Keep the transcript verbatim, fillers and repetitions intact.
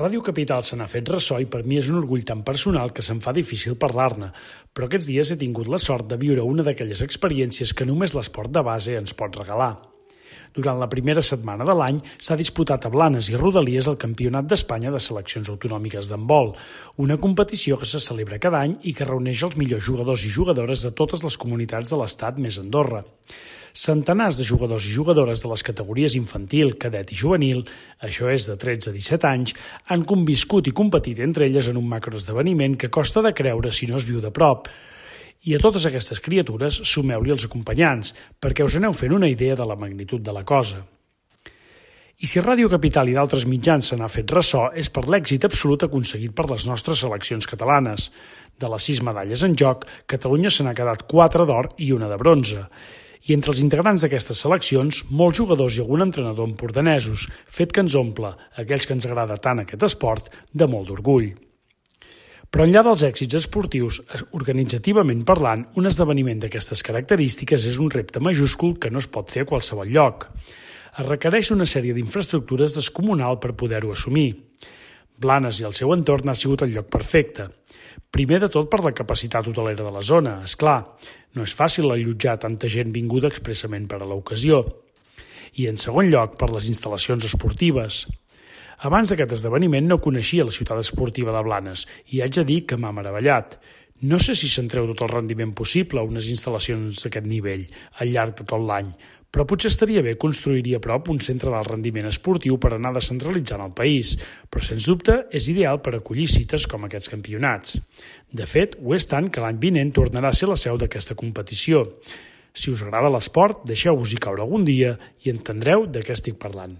Ràdio Capital se n'ha fet ressò i per mi és un orgull tan personal que se'm fa difícil parlar-ne, però aquests dies he tingut la sort de viure una d'aquelles experiències que només l'esport de base ens pot regalar. Durant la primera setmana de l'any s'ha disputat a Blanes i Rodalies el Campionat d'Espanya de Seleccions Autonòmiques d'handbol, una competició que se celebra cada any i que reuneix els millors jugadors i jugadores de totes les comunitats de l'Estat més Andorra. Centenars de jugadors i jugadores de les categories infantil, cadet i juvenil, això és de tretze a disset anys, han conviscut i competit entre elles en un macroesdeveniment que costa de creure si no es viu de prop. I a totes aquestes criatures sumeu-li els acompanyants, perquè us aneu fent una idea de la magnitud de la cosa. I si Ràdio Capital i d'altres mitjans se n'ha fet ressò és per l'èxit absolut aconseguit per les nostres seleccions catalanes. De les sis medalles en joc, Catalunya se n'ha quedat quatre d'or i una de bronze. I entre els integrants d'aquestes seleccions, molts jugadors i algun entrenador empordanesos, fet que ens omple, aquells que ens agrada tant aquest esport, de molt d'orgull. Però enllà dels èxits esportius, organitzativament parlant, un esdeveniment d'aquestes característiques és un repte majúscul que no es pot fer a qualsevol lloc. Es requereix una sèrie d'infraestructures descomunal per poder-ho assumir. Blanes i el seu entorn ha sigut el lloc perfecte. Primer de tot per la capacitat hotelera de la zona, és clar. No és fàcil allotjar tanta gent vinguda expressament per a l'ocasió. I en segon lloc, per les instal·lacions esportives. Abans d'aquest esdeveniment no coneixia la ciutat esportiva de Blanes i haig de dir que m'ha meravellat. No sé si se'n treu tot el rendiment possible a unes instal·lacions d'aquest nivell al llarg de tot l'any, però potser estaria bé construir-hi a prop un centre d'alt rendiment esportiu per anar descentralitzant el país, però sens dubte és ideal per acollir cites com aquests campionats. De fet, ho és tant que l'any vinent tornarà a ser la seu d'aquesta competició. Si us agrada l'esport, deixeu-vos-hi caure algun dia i entendreu de què estic parlant.